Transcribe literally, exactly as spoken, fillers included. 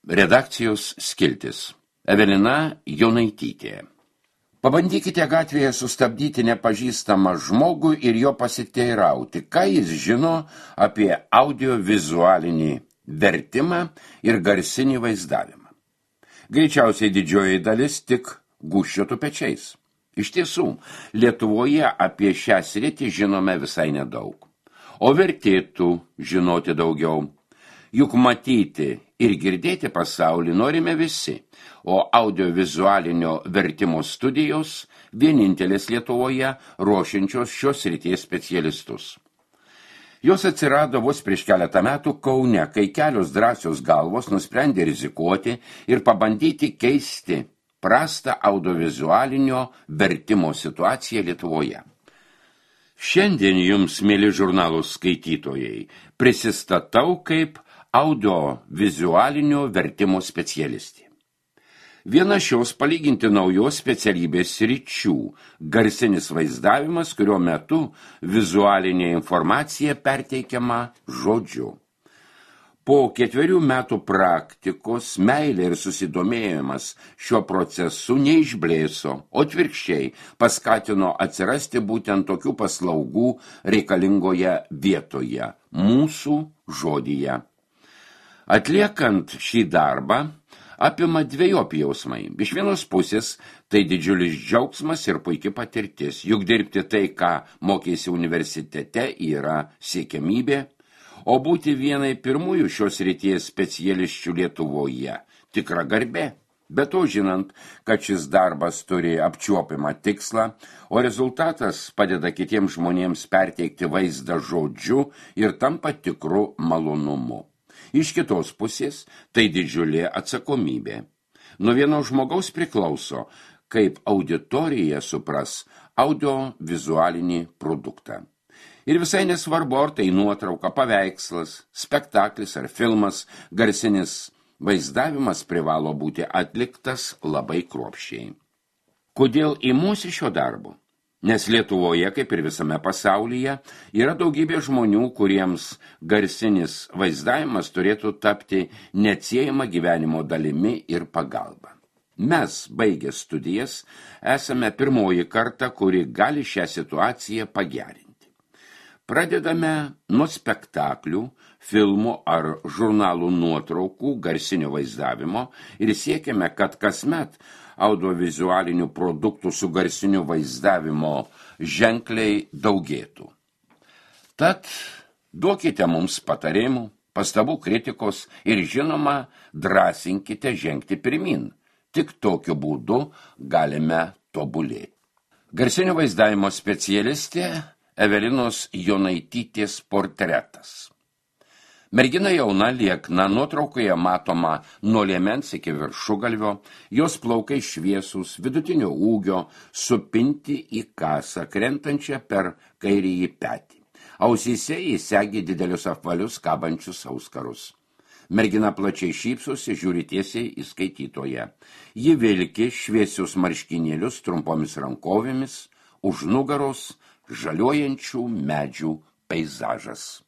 Redakcijos skiltis. Evelina Jonaitytė. Pabandykite gatvėje sustabdyti nepažįstamą žmogų ir jo pasiteirauti, ką jis žino apie audiovizualinį vertimą ir garsinį vaizdavimą. Greičiausiai didžioji dalis tik gūžčiotų pečiais. Iš tiesų, Lietuvoje apie šią sritį žinome visai nedaug. O vertėtų žinoti daugiau. Juk matyti ir girdėti pasaulį norime visi, o audiovizualinio vertimo studijos vienintelės Lietuvoje ruošiančios šios srities specialistus. Jos atsirado vos prieš keletą metų Kaune, kai kelios drąsios galvos nusprendė rizikuoti ir pabandyti keisti prastą audiovizualinio vertimo situaciją Lietuvoje. Šiandien jums, mėly žurnalų skaitytojai, prisistatau kaip audiovizualinio vertimo specialistė. Viena šios palyginti naujos specialybės sričių – garsinis vaizdavimas, kurio metu vizualinė informacija perteikiama žodžiu. Po ketverių metų praktikos meilė ir susidomėjimas šiuo procesu neišblėso, o atvirkščiai paskatino atsirasti būtent tokių paslaugų reikalingoje vietoje – mūsų žodyje. Atliekant šį darbą apima dvejopi jausmai. Iš vienos pusės tai didžiulis džiaugsmas ir puiki patirtis, juk dirbti tai, ką mokėsi universitete, yra siekiamybė, o būti vienai pirmųjų šios srities specialisčių Lietuvoje tikra garbė. Be to žinant, kad šis darbas turi apčiuopimą tikslą, o rezultatas padeda kitiems žmonėms perteikti vaizdą žodžiu ir tampa tikru malonumu. Iš kitos pusės tai didžiulė atsakomybė. Nuo vieno žmogaus priklauso, kaip auditorija supras audiovizualinį produktą. Ir visai nesvarbu, ar tai nuotrauka, paveikslas, spektaklis ar filmas, garsinis vaizdavimas privalo būti atliktas labai kruopščiai. Kodėl imuosi šio darbo? Nes Lietuvoje, kaip ir visame pasaulyje, yra daugybė žmonių, kuriems garsinis vaizdavimas turėtų tapti neatsiejama gyvenimo dalimi ir pagalba. Mes, baigę studijas, esame pirmoji karta, kuri gali šią situaciją pagerinti. Pradedame nuo spektaklių, filmų ar žurnalų nuotraukų garsinio vaizdavimo ir siekiame, kad kasmet audiovizualinių produktų su garsiniu vaizdavimo ženkliai daugėtų. Tad duokite mums patarimų, pastabų, kritikos ir žinoma, drąsinkite žengti pirmin. Tik tokiu būdu galime tobulėti. Garsinio vaizdavimo specialistė Evelinos Jonaitytės portretas. Mergina jauna, liekna, nuotraukoje matoma nuo liemens iki viršugalvio, jos plaukai šviesūs, vidutinio ūgio, supinti į kasą, krentančią per kairįjį petį. Ausyse įsegi didelius apvalius kabančius auskarus. Mergina plačiai šypsosi, žiūri tiesiai į skaitytoją. Ji vilki šviesius marškinėlius trumpomis rankovėmis, už nugaros žaliuojančių medžių peizažas.